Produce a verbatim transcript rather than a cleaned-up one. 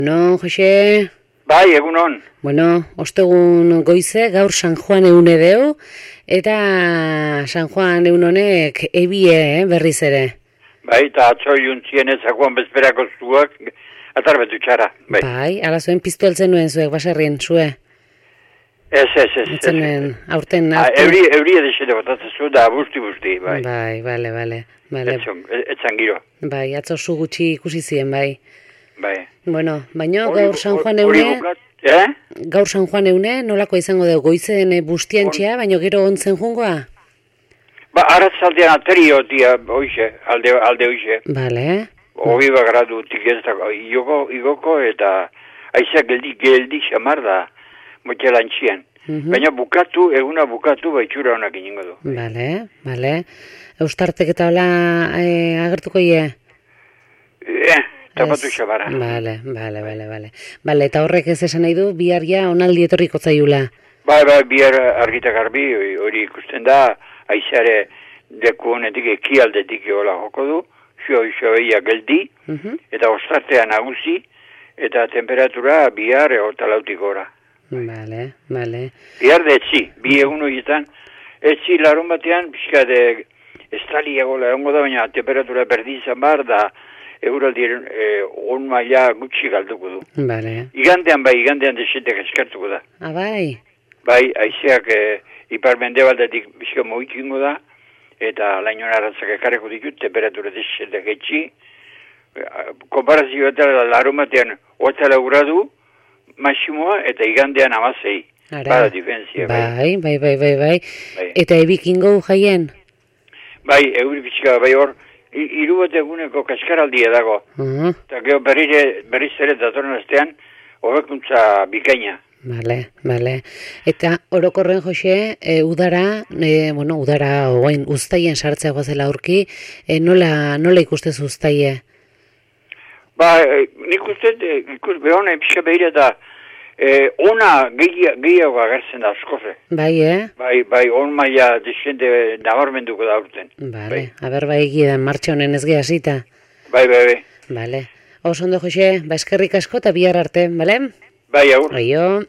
No, Jose? Bai, egunon. Bueno, ostegun goize, gaur San Juan eune deu, eta San Juan eun honek ebie, eh, berriz ere. Bai, eta atzo juntzien ezakoan bezperako zuak, atarbetu txara. Bai, Bai, ala zuen piztu eltzen nuen zuek, baserrien, zue. Ez, ez, ez. Eltzen nuen, aurten, Ah, aurten. Euri, euri edesete botatzen zu, da busti-busti, bai. Bai, bale, bale, bale. Etzon, etzan giro, Bai, atzo zu gutxi ikusi zien, bai. bai. Bueno, baino Hori- gaur San Juan hori eune, bukat, eh? gaur San Juan eune, nolako izango dugu goizen bustiantxea, baino gero ontzen jungoa? Ba, arratzaldean aterio, tia, oixe, alde, alde oixe. Bale, Hobi bagradu tik ez dago, igoko, igoko eta aizak geldi, geldi xamar da, motxelantxien. Mhm. Baina bukatu, eguna bukatu, baitxura honak iningo du. bale, bale. Eustartek eta hola e, agertuko ie? Eh, tapatu Ez. xabara. Bale, bale, bale, bale. Bale, eta horrek ez esan nahi du, bihar ja onaldi etorriko zaiula. Bai, bai, bihar argita garbi, hori ikusten da, aizeare deku honetik, ekialdetik hola joko du, xo, xo, eia geldi, Mhm. eta ostartea nagusi, eta temperatura bihar egotalautik gora. Bale, bale. Bihar de etzi, bi egun horietan, etzi larun batean, pixka de estali egola egongo da, baina temperatura berdin izan bar, da euraldiren eh, on maila gutxi galduko du. Bale. Igandean bai, igandean desentek eskartuko da. Ah, bai. Bai, aizeak e, ipar mendebaldetik bizko moikingo da, eta lainon arratzak ekarreko ditut, temperatura desentek etxi. Konparazio eta larumatean oatala gradu, maximoa, eta igandean amazei. Ara. Bada diferentzia, bai. Bai, bai, bai, bai, bai. Bai. Eta ebikingo jaien? Bai, euri pixka, bai hor, i- hiru bat eguneko kaskaraldia dago. Uh, Eta gero berrire, berriz ere datorren astean, hobekuntza bikaina. Bale, bale. Eta orokorren, Jose, e, udara, e, bueno, udara oain uztaien sartzea goazela aurki, e, nola, nola ikustez uztaie? Ba, e, nik uste, e, ikus behona pixka behira da, e, ona gehi- gehiago agertzen da askoze. Bai, eh? Bai, bai, on maila desende nabarmenduko da urten. Bale, aber bai egidan martxa honen ez hasita. Bai, bai, bai. Bale. Oso ondo, Jose, ba eskerrik asko eta bihar arte, bale? Bai, aur. Aio.